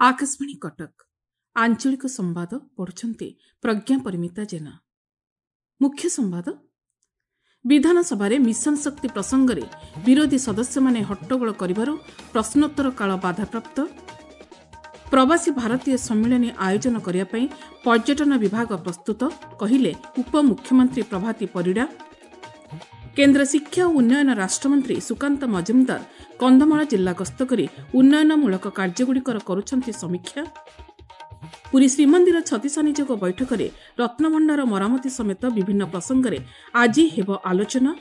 ଆକାଶବାଣୀ କଟକ, ଆଞ୍ଚଳିକ ସମ୍ବାଦ ପଢୁଛନ୍ତି ପ୍ରଜ୍ଞା ପରିମିତା ଜେନା। ମୁଖ୍ୟ ସମ୍ବାଦ। ବିଧାନସଭାରେ ମିଶନ ଶକ୍ତି ପ୍ରସଙ୍ଗରେ ବିରୋଧୀ ସଦସ୍ୟମାନେ ହଟ୍ଟଗୋଳ କରିବାରୁ ପ୍ରଶ୍ନୋତ୍ତର କାଳ ବାଧାପ୍ରାପ୍ତ। ପ୍ରବାସୀ ଭାରତୀୟ ସମ୍ମିଳନୀ ଆୟୋଜନ କରିବା ପାଇଁ ପର୍ଯ୍ୟଟନ ବିଭାଗ ପ୍ରସ୍ତୁତ, କହିଲେ ଉପମୁଖ୍ୟମନ୍ତ୍ରୀ ପ୍ରଭାତୀ ପରିଡ଼ା। କେନ୍ଦ୍ର ଶିକ୍ଷା ଓ ଉନ୍ନୟନ ରାଷ୍ଟ୍ରମନ୍ତ୍ରୀ ସୁକାନ୍ତ ମଜୁମଦାର କନ୍ଧମାଳ ଜିଲ୍ଲା ଗସ୍ତ କରି ଉନ୍ନୟନମୂଳକ କାର୍ଯ୍ୟଗୁଡ଼ିକର କରୁଛନ୍ତି ସମୀକ୍ଷା। ପୁରୀ ଶ୍ରୀମନ୍ଦିର ଛତିଶା ନିଯୋଗ ବୈଠକରେ ରତ୍ନଭଣ୍ଡାର ମରାମତି ସମେତ ବିଭିନ୍ନ ପ୍ରସଙ୍ଗରେ ଆଜି ହେବ ଆଲୋଚନା।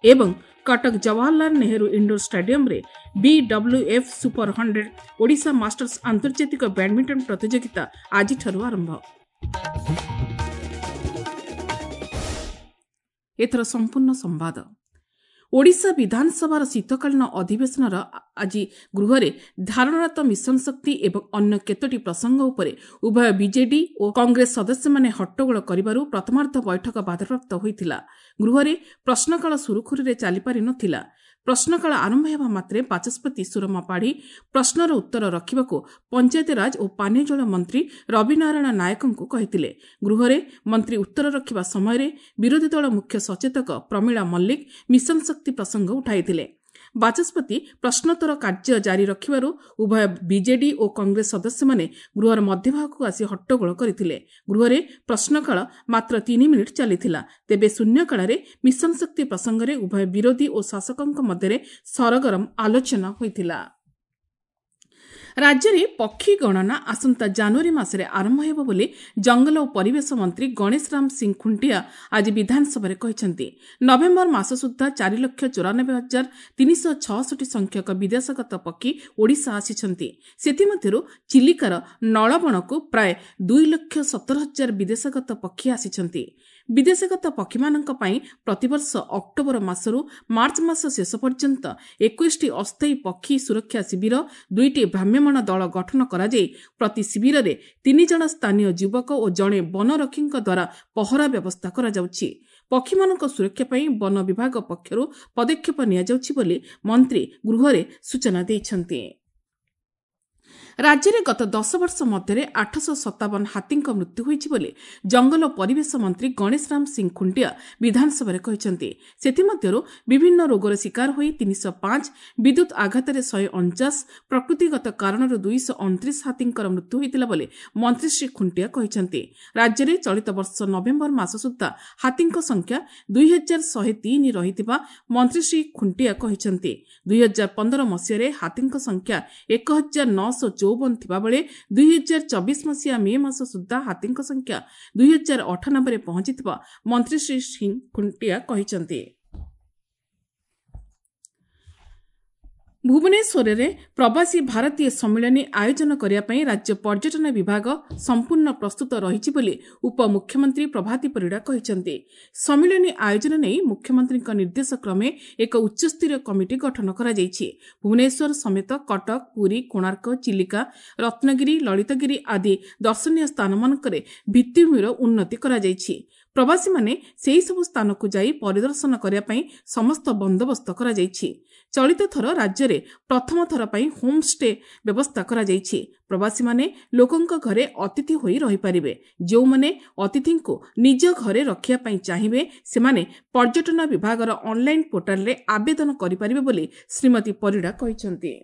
ଏବଂ କଟକ ଜବାହରଲାଲ ନେହେରୁ ଇଣ୍ଡୋର ଷ୍ଟାଡିୟମରେ ବିଡବ୍ଲ୍ୟୁଏଫ୍ ସୁପର 100 ଓଡ଼ିଶା ମାଷ୍ଟର୍ସ ଆନ୍ତର୍ଜାତିକ ବ୍ୟାଡମିଣ୍ଟନ ପ୍ରତିଯୋଗିତା ଆଜିଠାରୁ ଆରମ୍ଭ। ଏଥର ସମ୍ପୂର୍ଣ୍ଣ ସମ୍ବାଦ। ଓଡ଼ିଶା ବିଧାନସଭାର ଶୀତକାଳୀନ ଅଧିବେଶନର ଆଜି ଗୃହରେ ଧାରଣାରତ ମିଶନ ଶକ୍ତି ଏବଂ ଅନ୍ୟ କେତୋଟି ପ୍ରସଙ୍ଗ ଉପରେ ଉଭୟ ବିଜେଡି ଓ କଂଗ୍ରେସ ସଦସ୍ୟମାନେ ହଟ୍ଟଗୋଳ କରିବାରୁ ପ୍ରଥମାର୍ଦ୍ଧ ବୈଠକ ବାଧାପ୍ରାପ୍ତ ହୋଇଥିଲା। ଗୃହରେ ପ୍ରଶ୍ନକାଳ ସୁରୁଖୁରୁରେ ଚାଲିପାରି ନଥିଲା। ପ୍ରଶ୍ନକାଳ ଆରମ୍ଭ ହେବା ମାତ୍ରେ ବାଚସ୍ପତି ସୁରମା ପାଢ଼ୀ ପ୍ରଶ୍ନର ଉତ୍ତର ରଖିବାକୁ ପଞ୍ଚାୟତିରାଜ ଓ ପାନୀୟ ଜଳ ମନ୍ତ୍ରୀ ରବିନାରାୟଣ ନାୟକଙ୍କୁ କହିଥିଲେ। ଗୃହରେ ମନ୍ତ୍ରୀ ଉତ୍ତର ରଖିବା ସମୟରେ ବିରୋଧୀ ଦଳ ମୁଖ୍ୟ ସଚେତକ ପ୍ରମିଳା ମଲ୍ଲିକ ମିଶନ ଶକ୍ତି ପ୍ରସଙ୍ଗ ଉଠାଇଥିଲେ। ବାଚସ୍ପତି ପ୍ରଶ୍ନୋତ୍ତର କାର୍ଯ୍ୟ ଜାରି ରଖିବାରୁ ଉଭୟ ବିଜେଡି ଓ କଂଗ୍ରେସ ସଦସ୍ୟମାନେ ଗୃହର ମଧ୍ୟଭାଗକୁ ଆସି ହଟ୍ଟଗୋଳ କରିଥିଲେ। ଗୃହରେ ପ୍ରଶ୍ନକାଳ ମାତ୍ର 3 ମିନିଟ୍ ଚାଲିଥିଲା। ତେବେ ଶୂନ୍ୟକାଳରେ ମିଶନ ଶକ୍ତି ପ୍ରସଙ୍ଗରେ ଉଭୟ ବିରୋଧୀ ଓ ଶାସକଙ୍କ ମଧ୍ୟରେ ସରଗରମ ଆଲୋଚନା ହୋଇଥିଲା। ରାଜ୍ୟରେ ପକ୍ଷୀ ଗଣନା ଆସନ୍ତା ଜାନୁଆରୀ ମାସରେ ଆରମ୍ଭ ହେବ ବୋଲି ଜଙ୍ଗଲ ଓ ପରିବେଶ ମନ୍ତ୍ରୀ ଗଣେଶ ରାମ ସିଂ ଖୁଣ୍ଟିଆ ଆଜି ବିଧାନସଭାରେ କହିଛନ୍ତି। ନଭେମ୍ବର ମାସ ସୁଦ୍ଧା 4,94,366 ସଂଖ୍ୟକ ବିଦେଶଗତ ପକ୍ଷୀ ଓଡ଼ିଶା ଆସିଛନ୍ତି। ସେଥିମଧ୍ୟରୁ ଚିଲିକାର ନଳବଣକୁ ପ୍ରାୟ 2,17,000 ବିଦେଶଗତ ପକ୍ଷୀ ଆସିଛନ୍ତି। ବିଦେଶଗତ ପକ୍ଷୀମାନଙ୍କ ପାଇଁ ପ୍ରତିବର୍ଷ ଅକ୍ଟୋବର ମାସରୁ ମାର୍ଚ୍ଚ ମାସ ଶେଷ ପର୍ଯ୍ୟନ୍ତ 21ଟି ଅସ୍ଥାୟୀ ପକ୍ଷୀ ସୁରକ୍ଷା ଶିବିର, 2ଟି ଭ୍ରାମ୍ୟମାଣ ଦଳ ଗଠନ କରାଯାଇ ପ୍ରତି ଶିବିରରେ 3 ଜଣ ସ୍ଥାନୀୟ ଯୁବକ ଓ ଜଣେ ବନରକ୍ଷୀଙ୍କ ଦ୍ୱାରା ପହରା ବ୍ୟବସ୍ଥା କରାଯାଉଛି। ପକ୍ଷୀମାନଙ୍କ ସୁରକ୍ଷା ପାଇଁ ବନ ବିଭାଗ ପକ୍ଷରୁ ପଦକ୍ଷେପ ନିଆଯାଉଛି ବୋଲି ମନ୍ତ୍ରୀ ଗୃହରେ ସୂଚନା ଦେଇଛନ୍ତି। ରାଜ୍ୟରେ ଗତ 10 ବର୍ଷ ମଧ୍ୟରେ 857 ହାତୀଙ୍କ ମୃତ୍ୟୁ ହୋଇଛି ବୋଲି ଜଙ୍ଗଲ ଓ ପରିବେଶ ମନ୍ତ୍ରୀ ଗଣେଶ ରାମ ସିଂ ଖୁଣ୍ଟିଆ ବିଧାନସଭାରେ କହିଛନ୍ତି। ସେଥିମଧ୍ୟରୁ ବିଭିନ୍ନ ରୋଗର ଶିକାର ହୋଇ 305, ବିଦ୍ୟୁତ୍ ଆଘାତରେ 149, ପ୍ରକୃତିଗତ କାରଣରୁ 229 ହାତୀଙ୍କର ମୃତ୍ୟୁ ହୋଇଥିଲା ବୋଲି ମନ୍ତ୍ରୀ ଶ୍ରୀ ଖୁଣ୍ଟିଆ କହିଛନ୍ତି। ରାଜ୍ୟରେ ଚଳିତ ବର୍ଷ ନଭେମ୍ବର ମାସ ସୁଦ୍ଧା ହାତୀଙ୍କ ସଂଖ୍ୟା 2103 ରହିଥିବା ମନ୍ତ୍ରୀ ଶ୍ରୀ ଖୁଣ୍ଟିଆ କହିଛନ୍ତି। 2015 ମସିହାରେ ହାତୀଙ୍କ ସଂଖ୍ୟା 1954 ଥିବାବେଳେ 2024 ମସିହା ମେ ମାସ ସୁଦ୍ଧା ହାତୀଙ୍କ ସଂଖ୍ୟା 2098ରେ ପହଞ୍ଚିଥିବା ମନ୍ତ୍ରୀ ଶ୍ରୀ ସିଂ ଖୁଣ୍ଟିଆ କହିଛନ୍ତି। ଭୁବନେଶ୍ୱରରେ ପ୍ରବାସୀ ଭାରତୀୟ ସମ୍ମିଳନୀ ଆୟୋଜନ କରିବା ପାଇଁ ରାଜ୍ୟ ପର୍ଯ୍ୟଟନ ବିଭାଗ ସମ୍ପୂର୍ଣ୍ଣ ପ୍ରସ୍ତୁତ ରହିଛି ବୋଲି ଉପମୁଖ୍ୟମନ୍ତ୍ରୀ ପ୍ରଭାତୀ ପରିଡ଼ା କହିଛନ୍ତି। ସମ୍ମିଳନୀ ଆୟୋଜନ ନେଇ ମୁଖ୍ୟମନ୍ତ୍ରୀଙ୍କ ନିର୍ଦ୍ଦେଶ କ୍ରମେ ଏକ ଉଚ୍ଚସ୍ତରୀୟ କମିଟି ଗଠନ କରାଯାଇଛି। ଭୁବନେଶ୍ୱର ସମେତ କଟକ, ପୁରୀ, କୋଣାର୍କ, ଚିଲିକା, ରତ୍ନଗିରି, ଲଳିତଗିରି ଆଦି ଦର୍ଶନୀୟ ସ୍ଥାନମାନଙ୍କରେ ଭିତ୍ତିଭୂମିର ଉନ୍ନତି କରାଯାଇଛି। ପ୍ରବାସୀମାନେ ସେହିସବୁ ସ୍ଥାନକୁ ଯାଇ ପରିଦର୍ଶନ କରିବା ପାଇଁ ସମସ୍ତ ବନ୍ଦୋବସ୍ତ କରାଯାଇଛି। ଚଳିତ ଥର ରାଜ୍ୟରେ ପ୍ରଥମ ଥର ପାଇଁ ହୋମ୍ଷ୍ଟେ ବ୍ୟବସ୍ଥା କରାଯାଇଛି। ପ୍ରବାସୀମାନେ ଲୋକଙ୍କ ଘରେ ଅତିଥି ହୋଇ ରହିପାରିବେ। ଯେଉଁମାନେ ଅତିଥିଙ୍କୁ ନିଜ ଘରେ ରଖିବା ପାଇଁ ଚାହିଁବେ ସେମାନେ ପର୍ଯ୍ୟଟନ ବିଭାଗର ଅନ୍ଲାଇନ୍ ପୋର୍ଟାଲରେ ଆବେଦନ କରିପାରିବେ ବୋଲି ଶ୍ରୀମତୀ ପରିଡ଼ା କହିଛନ୍ତି।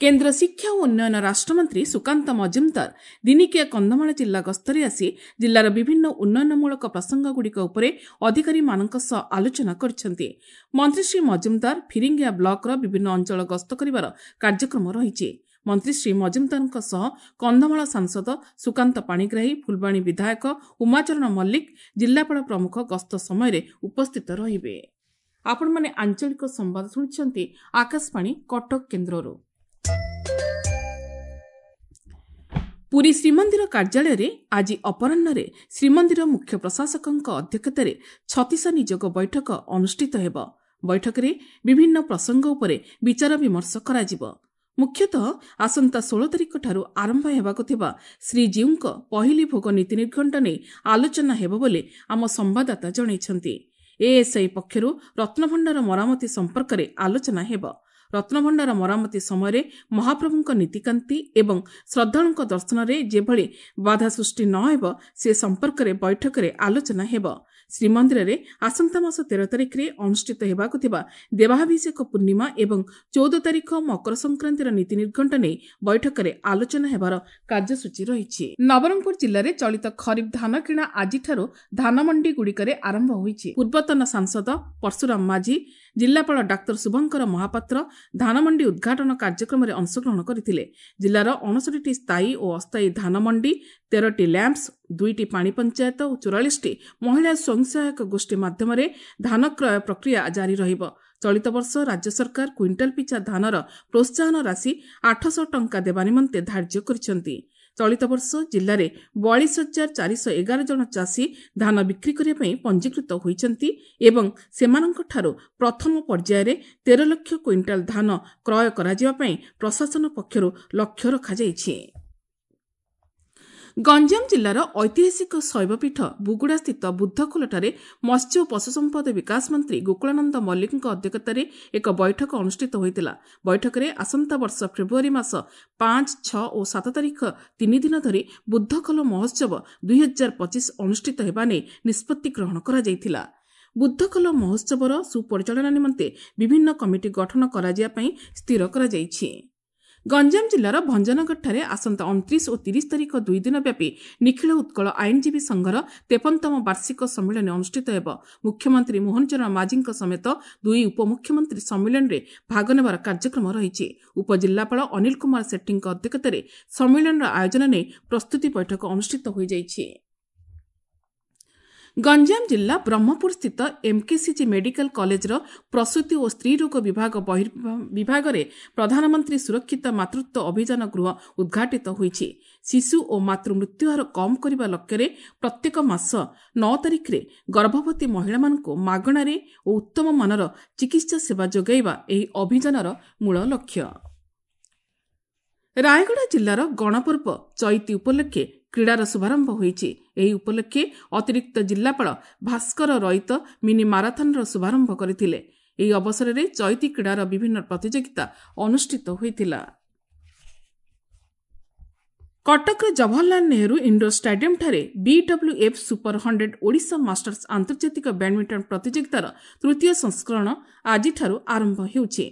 କେନ୍ଦ୍ର ଶିକ୍ଷା ଓ ଉନ୍ନୟନ ରାଷ୍ଟ୍ରମନ୍ତ୍ରୀ ସୁକାନ୍ତ ମଜୁମଦାର ଦିନିକିଆ କନ୍ଧମାଳ ଜିଲ୍ଲା ଗସ୍ତରେ ଆସି ଜିଲ୍ଲାର ବିଭିନ୍ନ ଉନ୍ନୟନମୂଳକ ପ୍ରସଙ୍ଗଗୁଡ଼ିକ ଉପରେ ଅଧିକାରୀମାନଙ୍କ ସହ ଆଲୋଚନା କରିଛନ୍ତି। ମନ୍ତ୍ରୀ ଶ୍ରୀ ମଜୁମଦାର ଫିରିଙ୍ଗିଆ ବ୍ଲକର ବିଭିନ୍ନ ଅଞ୍ଚଳ ଗସ୍ତ କରିବାର କାର୍ଯ୍ୟକ୍ରମ ରହିଛି। ମନ୍ତ୍ରୀ ଶ୍ରୀ ମଜୁମଦାରଙ୍କ ସହ କନ୍ଧମାଳ ସାଂସଦ ସୁକାନ୍ତ ପାଣିଗ୍ରାହୀ, ଫୁଲବାଣୀ ବିଧାୟକ ଉମାଚରଣ ମଲ୍ଲିକ, ଜିଲ୍ଲାପାଳ ପ୍ରମୁଖ ଗସ୍ତ ସମୟରେ ଉପସ୍ଥିତ ରହିବେ। ଆପଣମାନେ ଆଞ୍ଚଳିକ ସମ୍ବାଦ ଶୁଣୁଛନ୍ତି ଆକାଶବାଣୀ କଟକ କେନ୍ଦ୍ରରୁ। ପୁରୀ ଶ୍ରୀମନ୍ଦିର କାର୍ଯ୍ୟାଳୟରେ ଆଜି ଅପରାହ୍ନରେ ଶ୍ରୀମନ୍ଦିର ମୁଖ୍ୟ ପ୍ରଶାସକଙ୍କ ଅଧ୍ୟକ୍ଷତାରେ ଛତିଶା ନିଯୋଗ ବୈଠକ ଅନୁଷ୍ଠିତ ହେବ। ବୈଠକରେ ବିଭିନ୍ନ ପ୍ରସଙ୍ଗ ଉପରେ ବିଚାର ବିମର୍ଶ କରାଯିବ। ମୁଖ୍ୟତଃ ଆସନ୍ତା 16 ତାରିଖଠାରୁ ଆରମ୍ଭ ହେବାକୁ ଥିବା ଶ୍ରୀଜୀଉଙ୍କ ପହିଲି ଭୋଗ ନୀତି ନିର୍ଘଣ୍ଟ ନେଇ ଆଲୋଚନା ହେବ ବୋଲି ଆମ ସମ୍ବାଦଦାତା ଜଣାଇଛନ୍ତି। ଏଏସ୍ଆଇ ପକ୍ଷରୁ ରତ୍ନଭଣ୍ଡାର ମରାମତି ସମ୍ପର୍କରେ ଆଲୋଚନା ହେବ। ରତ୍ନଭଣ୍ଡାର ମରାମତି ସମୟରେ ମହାପ୍ରଭୁଙ୍କ ନୀତିକାନ୍ତି ଏବଂ ଶ୍ରଦ୍ଧାଳୁଙ୍କ ଦର୍ଶନରେ ଯେଭଳି ବାଧା ସୃଷ୍ଟି ନ ହେବ ସେ ସମ୍ପର୍କରେ ବୈଠକରେ ଆଲୋଚନା ହେବ। ଶ୍ରୀମନ୍ଦିରରେ ଆସନ୍ତା ମାସ 13 ତାରିଖରେ ଅନୁଷ୍ଠିତ ହେବାକୁ ଥିବା ଦେବାଭିଷେକ ପୂର୍ଣ୍ଣିମା ଏବଂ 14 ତାରିଖ ମକର ସଂକ୍ରାନ୍ତିର ନୀତି ନିର୍ଘଣ୍ଟ ନେଇ ବୈଠକରେ ଆଲୋଚନା ହେବାର କାର୍ଯ୍ୟସୂଚୀ ରହିଛି। ନବରଙ୍ଗପୁର ଜିଲ୍ଲାରେ ଚଳିତ ଖରିଫ ଧାନ କିଣା ଆଜିଠାରୁ ଧାନମଣ୍ଡିଗୁଡ଼ିକରେ ଆରମ୍ଭ ହୋଇଛି। ପୂର୍ବତନ ସାଂସଦ ପରଶୁରାମ ମାଝୀ, ଜିଲ୍ଲାପାଳ ଡାକ୍ତର ଶୁଭଙ୍କର ମହାପାତ୍ର ଧାନମଣ୍ଡି ଉଦ୍ଘାଟନ କାର୍ଯ୍ୟକ୍ରମରେ ଅଂଶଗ୍ରହଣ କରିଥିଲେ। ଜିଲ୍ଲାର 59ଟି ସ୍ଥାୟୀ ଓ ଅସ୍ଥାୟୀ ଧାନମଣ୍ଡି, 13ଟି ଲ୍ୟାମ୍ପସ୍, 2ଟି ପାଣି ପଞ୍ଚାୟତ ଓ 44ଟି ମହିଳା ସ୍ୱୟଂ ସହାୟକ ଗୋଷ୍ଠୀ ମାଧ୍ୟମରେ ଧାନ କ୍ରୟ ପ୍ରକ୍ରିୟା ଜାରି ରହିବ। ଚଳିତ ବର୍ଷ ରାଜ୍ୟ ସରକାର କୁଇଣ୍ଟାଲ ପିଛା ଧାନର ପ୍ରୋତ୍ସାହନ ରାଶି 800 ଟଙ୍କା ଦେବା ନିମନ୍ତେ ଧାର୍ଯ୍ୟ କରିଛନ୍ତି। ଚଳିତ ବର୍ଷ ଜିଲ୍ଲାରେ 42,411 ଜଣ ଚାଷୀ ଧାନ ବିକ୍ରି କରିବା ପାଇଁ ପଞ୍ଜୀକୃତ ହୋଇଛନ୍ତି ଏବଂ ସେମାନଙ୍କଠାରୁ ପ୍ରଥମ ପର୍ଯ୍ୟାୟରେ 13 ଲକ୍ଷ କୁଇଣ୍ଟାଲ ଧାନ କ୍ରୟ କରାଯିବା ପାଇଁ ପ୍ରଶାସନ ପକ୍ଷରୁ ଲକ୍ଷ୍ୟ ରଖାଯାଇଛି। ଗଞ୍ଜାମ ଜିଲ୍ଲାର ଐତିହାସିକ ଶୈବପୀଠ ବୁଗୁଡ଼ାସ୍ଥିତ ବୁଦ୍ଧଖୋଲଠାରେ ମତ୍ସ୍ୟ ଓ ପଶୁସମ୍ପଦ ବିକାଶ ମନ୍ତ୍ରୀ ଗୋକୁଳାନନ୍ଦ ମଲ୍ଲିକଙ୍କ ଅଧ୍ୟକ୍ଷତାରେ ଏକ ବୈଠକ ଅନୁଷ୍ଠିତ ହୋଇଥିଲା। ବୈଠକରେ ଆସନ୍ତା ବର୍ଷ ଫେବୃଆରୀ ମାସ 5, 6 ଓ 7 ତାରିଖ 3 ଦିନ ଧରି ବୁଦ୍ଧଖୋଲ ମହୋତ୍ସବ 2025 ଅନୁଷ୍ଠିତ ହେବା ନେଇ ନିଷ୍ପତ୍ତି ଗ୍ରହଣ କରାଯାଇଥିଲା। ବୁଦ୍ଧଖୋଲ ମହୋତ୍ସବର ସୁପରିଚାଳନା ନିମନ୍ତେ ବିଭିନ୍ନ କମିଟି ଗଠନ କରାଯିବା ପାଇଁ ସ୍ଥିର କରାଯାଇଛି। ଗଞ୍ଜାମ ଜିଲ୍ଲାର ଭଞ୍ଜନଗରଠାରେ ଆସନ୍ତା 29 ଓ 30 ତାରିଖ 2 ଦିନ ବ୍ୟାପୀ ନିଖିଳ ଉତ୍କଳ ଆଇନଜୀବୀ ସଂଘର 53ତମ ବାର୍ଷିକ ସମ୍ମିଳନୀ ଅନୁଷ୍ଠିତ ହେବ। ମୁଖ୍ୟମନ୍ତ୍ରୀ ମୋହନ ଚରଣ ମାଝୀଙ୍କ ସମେତ 2 ଉପମୁଖ୍ୟମନ୍ତ୍ରୀ ସମ୍ମିଳନୀରେ ଭାଗ ନେବାର କାର୍ଯ୍ୟକ୍ରମ ରହିଛି। ଉପଜିଲ୍ଲାପାଳ ଅନିଲ କୁମାର ସେଠୀଙ୍କ ଅଧ୍ୟକ୍ଷତାରେ ସମ୍ମିଳନୀର ଆୟୋଜନ ନେଇ ପ୍ରସ୍ତୁତି ବୈଠକ ଅନୁଷ୍ଠିତ ହୋଇଯାଇଛି। ଗଞ୍ଜାମ ଜିଲ୍ଲା ବ୍ରହ୍ମପୁର ସ୍ଥିତ ଏମ୍କେସିଜି ମେଡିକାଲ କଲେଜର ପ୍ରସୂତି ଓ ସ୍ତ୍ରୀରୋଗ ବିଭାଗରେ ପ୍ରଧାନମନ୍ତ୍ରୀ ସୁରକ୍ଷିତ ମାତୃତ୍ୱ ଅଭିଯାନ ଗୃହ ଉଦ୍ଘାଟିତ ହୋଇଛି। ଶିଶୁ ଓ ମାତୃ ମୃତ୍ୟୁହାର କମ୍ କରିବା ଲକ୍ଷ୍ୟରେ ପ୍ରତ୍ୟେକ ମାସ 9 ତାରିଖରେ ଗର୍ଭବତୀ ମହିଳାମାନଙ୍କୁ ମାଗଣାରେ ଓ ଉତ୍ତମ ମାନର ଚିକିତ୍ସା ସେବା ଯୋଗାଇବା ଏହି ଅଭିଯାନର ମୂଳ ଲକ୍ଷ୍ୟ। ରାୟଗଡ଼ା ଜିଲ୍ଲାର ଗଣପର୍ବ ଚଇତି ଉପଲକ୍ଷେ କ୍ରୀଡ଼ାର ଶୁଭାରମ୍ଭ ହୋଇଛି। ଏହି ଉପଲକ୍ଷେ ଅତିରିକ୍ତ ଜିଲ୍ଲାପାଳ ଭାସ୍କର ରଇତ ମିନି ମାରାଥନର ଶୁଭାରମ୍ଭ କରିଥିଲେ। ଏହି ଅବସରରେ ଚଇତି କ୍ରୀଡ଼ାର ବିଭିନ୍ନ ପ୍ରତିଯୋଗିତା ଅନୁଷ୍ଠିତ ହୋଇଥିଲା। କଟକର ଜବାହରଲାଲ ନେହେରୁ ଇଣ୍ଡୋର ଷ୍ଟାଡିୟମଠାରେ BWF super 100 Odisha masters ଆନ୍ତର୍ଜାତିକ ବ୍ୟାଡମିଣ୍ଟନ ପ୍ରତିଯୋଗିତାର ତୃତୀୟ ସଂସ୍କରଣ ଆଜିଠାରୁ ଆରମ୍ଭ ହେଉଛି।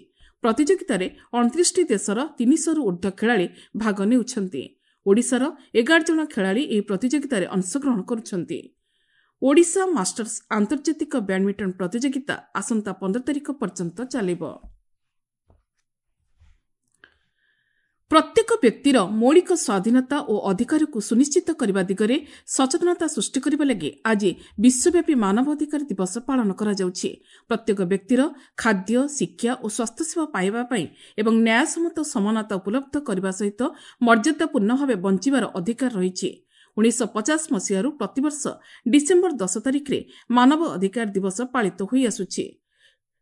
ପ୍ରତିଯୋଗିତାରେ 29ଟି ଦେଶର 300ରୁ ଊର୍ଦ୍ଧ୍ୱ ଖେଳାଳି ଭାଗ ନେଉଛନ୍ତି। ଓଡ଼ିଶାର 11 ଜଣ ଖେଳାଳି ଏହି ପ୍ରତିଯୋଗିତାରେ ଅଂଶଗ୍ରହଣ କରୁଛନ୍ତି। ଓଡ଼ିଶା ମାଷ୍ଟର୍ସ ଆନ୍ତର୍ଜାତିକ ବ୍ୟାଡମିଣ୍ଟନ ପ୍ରତିଯୋଗିତା ଆସନ୍ତା 15 ତାରିଖ ପର୍ଯ୍ୟନ୍ତ ଚାଲିବ। ପ୍ରତ୍ୟେକ ବ୍ୟକ୍ତିର ମୌଳିକ ସ୍ୱାଧୀନତା ଓ ଅଧିକାରକୁ ସୁନିଶ୍ଚିତ କରିବା ଦିଗରେ ସଚେତନତା ସୃଷ୍ଟି କରିବା ଲାଗି ଆଜି ବିଶ୍ୱବ୍ୟାପୀ ମାନବାଧିକାର ଦିବସ ପାଳନ କରାଯାଉଛି। ପ୍ରତ୍ୟେକ ବ୍ୟକ୍ତିର ଖାଦ୍ୟ, ଶିକ୍ଷା ଓ ସ୍ୱାସ୍ଥ୍ୟସେବା ପାଇବା ପାଇଁ ଏବଂ ନ୍ୟାୟସମ୍ମତ ସମାନତା ଉପଲବ୍ଧ କରିବା ସହିତ ମର୍ଯ୍ୟାଦାପୂର୍ଣ୍ଣ ଭାବେ ବଞ୍ଚିବାର ଅଧିକାର ରହିଛି। 1950 ମସିହାରୁ ପ୍ରତିବର୍ଷ ଡିସେମ୍ବର 10 ତାରିଖରେ ମାନବ ଅଧିକାର ଦିବସ ପାଳିତ ହୋଇଆସୁଛି।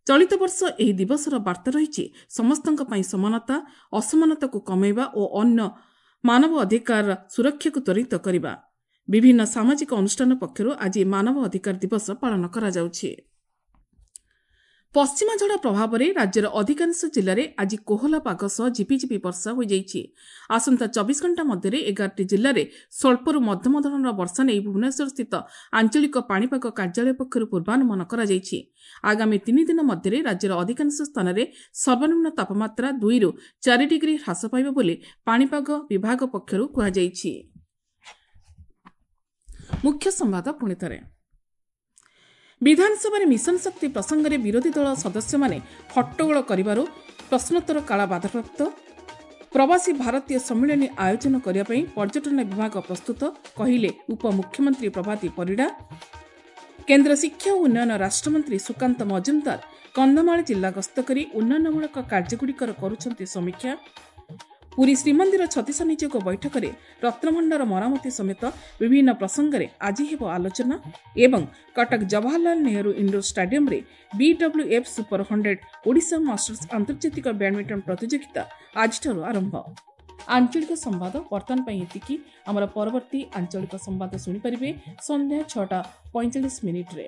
ଚଳିତ ବର୍ଷ ଏହି ଦିବସର ବାର୍ତ୍ତା ରହିଛି ସମସ୍ତଙ୍କ ପାଇଁ ସମାନତା, ଅସମାନତାକୁ କମାଇବା ଓ ଅନ୍ୟ ମାନବ ଅଧିକାର ସୁରକ୍ଷାକୁ ତ୍ୱରିତ କରିବା। ବିଭିନ୍ନ ସାମାଜିକ ଅନୁଷ୍ଠାନ ପକ୍ଷରୁ ଆଜି ମାନବ ଅଧିକାର ଦିବସ ପାଳନ କରାଯାଉଛି। ପଶ୍ଚିମା ଝଡ଼ ପ୍ରଭାବରେ ରାଜ୍ୟର ଅଧିକାଂଶ ଜିଲ୍ଲାରେ ଆଜି କୋହଲା ପାଗ ସହ ଝିପିଝିପି ବର୍ଷା ହୋଇଯାଇଛି। ଆସନ୍ତା 24 ଘଣ୍ଟା ମଧ୍ୟରେ 11ଟି ଜିଲ୍ଲାରେ ସ୍ୱଳ୍ପରୁ ମଧ୍ୟମ ଧରଣର ବର୍ଷା ନେଇ ଭୁବନେଶ୍ୱରସ୍ଥିତ ଆଞ୍ଚଳିକ ପାଣିପାଗ କାର୍ଯ୍ୟାଳୟ ପକ୍ଷରୁ ପୂର୍ବାନୁମାନ କରାଯାଇଛି। ଆଗାମୀ 3 ଦିନ ମଧ୍ୟରେ ରାଜ୍ୟର ଅଧିକାଂଶ ସ୍ଥାନରେ ସର୍ବନିମ୍ନ ତାପମାତ୍ରା 2ରୁ 4 ଡିଗ୍ରୀ ହ୍ରାସ ପାଇବ ବୋଲି ପାଣିପାଗ ବିଭାଗ ପକ୍ଷରୁ କୁହାଯାଇଛି। ମୁଖ୍ୟ ସମ୍ବାଦ ପୁଣିଥରେ। ବିଧାନସଭାରେ ମିଶନ ଶକ୍ତି ପ୍ରସଙ୍ଗରେ ବିରୋଧୀ ଦଳ ସଦସ୍ୟମାନେ ହଟ୍ଟଗୋଳ କରିବାରୁ ପ୍ରଶ୍ନୋତ୍ତର କାଳ ବାଧାପ୍ରାପ୍ତ। ପ୍ରବାସୀ ଭାରତୀୟ ସମ୍ମିଳନୀ ଆୟୋଜନ କରିବା ପାଇଁ ପର୍ଯ୍ୟଟନ ବିଭାଗ ପ୍ରସ୍ତୁତ, କହିଲେ ଉପମୁଖ୍ୟମନ୍ତ୍ରୀ ପ୍ରଭାତୀ ପରିଡ଼ା। କେନ୍ଦ୍ର ଶିକ୍ଷା ଓ ଉନ୍ନୟନ ରାଷ୍ଟ୍ରମନ୍ତ୍ରୀ ସୁକାନ୍ତ ମଜୁମଦାର କନ୍ଧମାଳ ଜିଲ୍ଲା ଗସ୍ତ କରି ଉନ୍ନୟନମୂଳକ କାର୍ଯ୍ୟଗୁଡ଼ିକର କରୁଛନ୍ତି ସମୀକ୍ଷା। ପୁରୀ ଶ୍ରୀମନ୍ଦିର ଛତିଶା ନିଯୋଗ ବୈଠକରେ ରତ୍ନଭଣ୍ଡାର ମରାମତି ସମେତ ବିଭିନ୍ନ ପ୍ରସଙ୍ଗରେ ଆଜି ହେବ ଆଲୋଚନା। ଏବଂ କଟକ ଜବାହରଲାଲ ନେହେରୁ ଇଣ୍ଡୋର ଷ୍ଟାଡିୟମରେ BWF super 100 Odisha masters ଆନ୍ତର୍ଜାତିକ ବ୍ୟାଡମିଣ୍ଟନ ପ୍ରତିଯୋଗିତା ଆଜିଠାରୁ ଆରମ୍ଭ। ଆଞ୍ଚଳିକ ସମ୍ବାଦ ବର୍ତ୍ତମାନ ପାଇଁ ଏତିକି। ଆମର ପରବର୍ତ୍ତୀ ଆଞ୍ଚଳିକ ସମ୍ବାଦ ଶୁଣିପାରିବେ ସନ୍ଧ୍ୟା 6:45।